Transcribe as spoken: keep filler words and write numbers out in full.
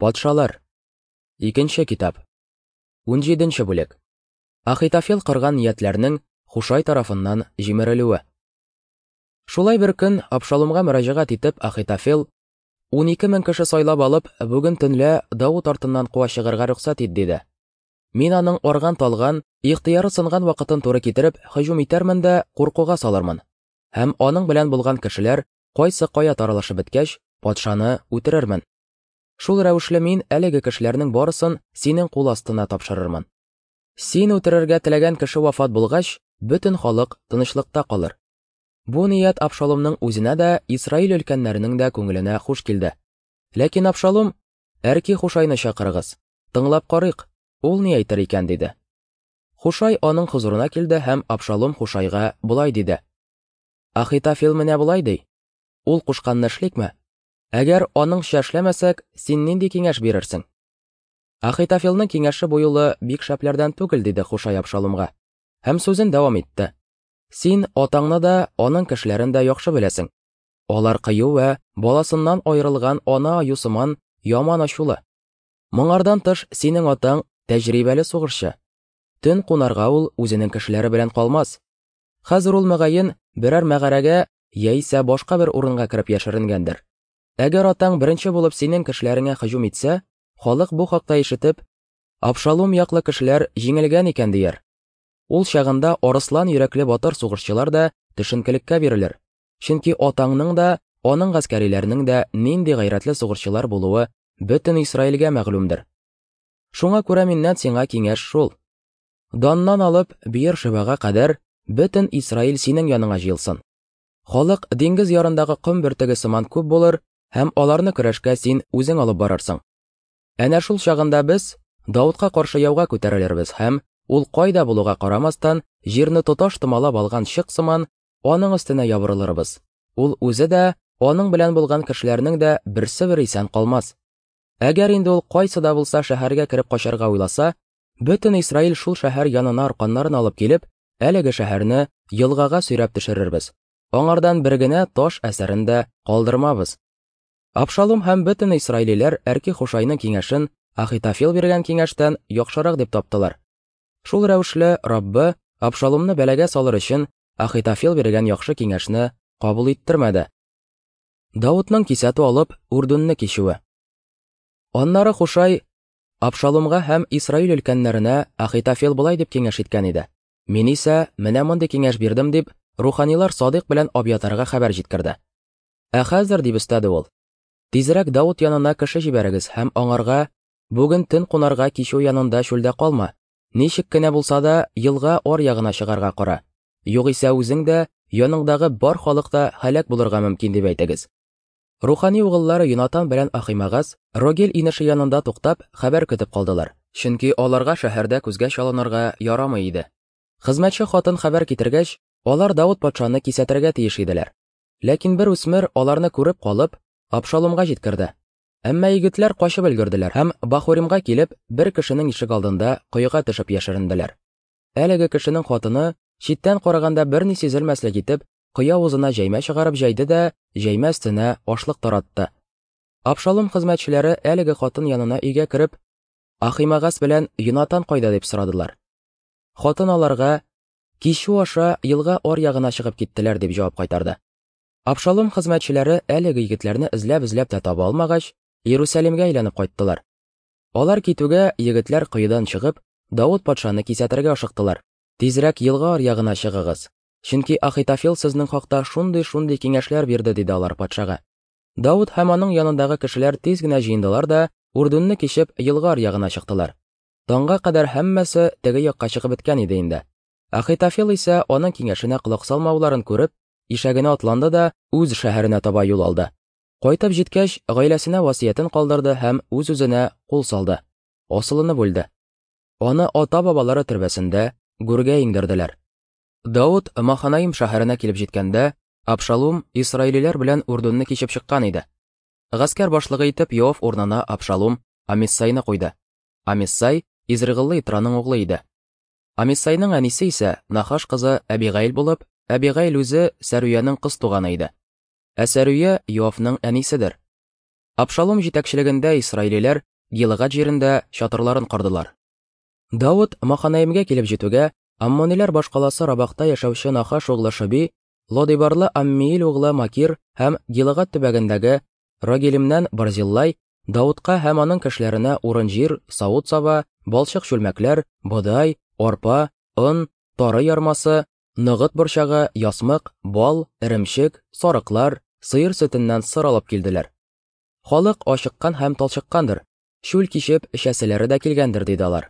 Патшалар. Икенче китап. Унҗиденче бүлек. Ахитофел корган ниятләрнең Хушай тарафыннан җимерелүе. Шулай бер көн Абшалумга мөрәҗәгать итеп Ахитофел: "Унике мең кеше сайлап алып, бүген төнлә Давыт артыннан куа чыгарга рөхсәт ит", диде. Мин аның арган-талган, ихтыяры сынган вакытын туры китереп, һөҗүм итәрмен дә куркуга салырмын. Һәм аның белән булган кешеләр кайсы кая таралышып беткәч, патшаны үтерермен. Шул рәвешле мин әлеге кешеләрнең барысын синең кул астына тапшырырмын. Син үтерергә теләгән кеше вафат булгач, бөтен халык тынычлыкта калыр. Бу ният Абшалумның үзенә дә, Исраил өлкәннәренең дә күңеленә хуш килде. Ләкин Абшалум: "Әрки Хушайны чакырыгыз, тыңлап карыйк, ул ни әйтер икән", диде. Хушай аның хозурына килде һәм Абшалум Хушайга болай диде: "Ахитофел менә болай ди. Ул кушканны эшликме? Әгәр аныңча эшләмәсәк, син нинди киңәш бирерсең?" Ахитофелнең киңәше бу юлы бик шәпләрдән түгел, диде Хушай Абшалумга. Һәм сүзен дәвам итте: "Син атаңны да, аның кешеләрен дә яхшы беләсең. Алар кыю вә баласыннан аерылган ана аю сыман яман ачулы. Моңардан тыш синең атаң тәҗрибәле сугышчы. Төн кунарга ул үзенең кешеләре белән калмас. Хәзер ул мөгаен берәр мәгарәгә яисә башка бер урынга кереп яшеренгәндер. Әгәр атаң беренче булып синең кешеләреңә һөҗүм итсә, халык бу хакта ишетеп, Абшалум яклы кешеләр җиңелгән икән дияр. Ул чагында арыслан йөрәкле батыр сугышчылар да төшенкелеккә бирелер. Чөнки атаңның да, аның гаскәриләренең дә нинди гайрәтле сугышчылар булуы бөтен Исраилгә мәгълүмдер. Шуңа күрә миннән сиңа киңәш шул: Даннан алып Биер-Шебага кадәр бөтен Исраил синең яныңа җыелсын. Халык диңгез ярындагы ком бөртеге сыман күп булыр, һәм аларны көрәшкә син үзең алып барырсың. Әнә шул чагында без Давытка каршы яуга күтәрелербез һәм ул кайда булуга карамастан, җирне тоташ томалап алган чык сыман аның өстенә ябырылырбыз. Ул үзе дә, аның белән булган кешеләрнең дә берсе бер исән калмас. Әгәр инде ул кайсы да булса шәһәргә кереп качарга уйласа, бөтен Исраил шул шәһәр янына арканнарын алып килеп, әлеге шәһәрне елгага сөйрәп төшерербез. Аңардан бер генә таш әсәрен дә калдырмабыз. Абшалум һәм бөтен исраилиләр Әрки Хушайның киңәшен Ахитофел биргән киңәштән яхшырак дип таптылар. Шул рәвешле Раббы Абшалумны бәлагә салыр өчен Ахитофел биргән яхшы киңәшне кабул иттермәде. Давытның кисәтү алып Үрдүнне кичүе. Аннары Хушай Абшалумга һәм Исраил өлкәннәренә Ахитофел болай дип киңәш иткән иде. Мин исә менә мондый киңәш бирдем дип, руханилар Садыйк белән Абьятарга хәбәр җиткерде. Ә хәзер, дип өстәде ул, тизрәк Давыт янына кеше җибәрегез һәм аңарга: "Бүген төн кунарга кичү янында чүлдә калма, ничек кенә булса да елга ар ягына чыгарга кара. Югыйсә үзең дә, яныңдагы бар халык та һәлак булырга мөмкин", дип әйтегез. Рухани угыллары Йонатан белән Ахимагас Рогел инеше янында туктап, хәбәр көтеп калдылар, чөнки аларга шәһәрдә күзгә чалынырга ярамый иде. Хезмәтче хатын хәбәр китергәч, алар Давыт патшаны кисәтергә тиеш иделәр. Ләкин бер үсмер аларны күреп калып, Абшалумга җиткерде. Әмма егетләр качып өлгерделәр һәм Бахуримга килеп, бер кешенең ишек алдында коега төшеп яшеренделәр. Әлеге кешенең хатыны, читтән караганда берни сизелмәслек итеп, кое авызына җәймә чыгарып җәйде дә, җәймә өстенә ашлык таратты. Абшалум хезмәтчеләре әлеге хатын янына өйгә кереп, Ахимагас белән Йонатан кайда дип сорадылар. Хатын аларга: "Кичү аша елга ар ягына чыгып киттеләр", дип җавап кайтарды. Абшалум хезмәтчеләре әлеге егетләрне эзләп-эзләп тә таба алмагач, Иерусалимгә әйләнеп кайттылар. Алар китүгә егетләр коедан чыгып, Давыт патшаны кисәтергә ашыктылар. "Тизрәк елга ар ягына чыгыгыз, чөнки Ахитофел сезнең хакта шундый-шундый киңәшләр бирде", диде алар патшага. Давыт һәм аның янындагы кешеләр тиз генә җыендылар да, Үрдүнне кичеп елга ар ягына чыктылар. Таңга кадәр һәммәсе теге якка чыгып беткән иде инде. Ахитофел исә аның киңәшенә колак салмауларын күреп, ишәгенә атланды да үз шәһәренә таба юл алды. Кайтып җиткәч, гаиләсенә васыятен калдырды һәм үз-үзенә кул салды. Асылынып үлде. Аны ата-бабалары төрбәсендә гүргә иңдерделәр. Давыт Маханаим шәһәренә килеп җиткәндә, Абшалум исраилиләр белән Үрдүнне кичеп чыккан иде. Гаскәр башлыгы итеп Йоав урынына Абшалум Амиссайны куйды. Амиссай Изрыгыллы Итраның углы иде. Амиссайның әнисе исә Нахаш кызы Әбигаил булып, Әбигаил үзе Сәрүянең кыз туганы иде. Ә Сәрүя Йоавның әниседер. Абшалум җитәкчелегендә исраилиләр Гилыгад җирендә чатырларын кордылар. Давыт Маханаимгә килеп җитүгә, аммониләр башкаласы Рабахта яшәүче Нахаш углы Шоби, Лодибарлы Аммиил углы Макир һәм Гилыгад төбәгендәге Рогелимнән Барзиллай Давытка һәм аның кешеләренә урын-җир, савыт-саба, балчык чүлмәкләр, бодай, арпа, он, тары ярмасы, ногыт борчагы, ясмык, бал, эремчек, сарыклар, сыер сөтеннән сыр алып килделәр. Халык ачыккан һәм талчыккандыр, чүл кичеп эчәселәре дә килгәндер, диде алар.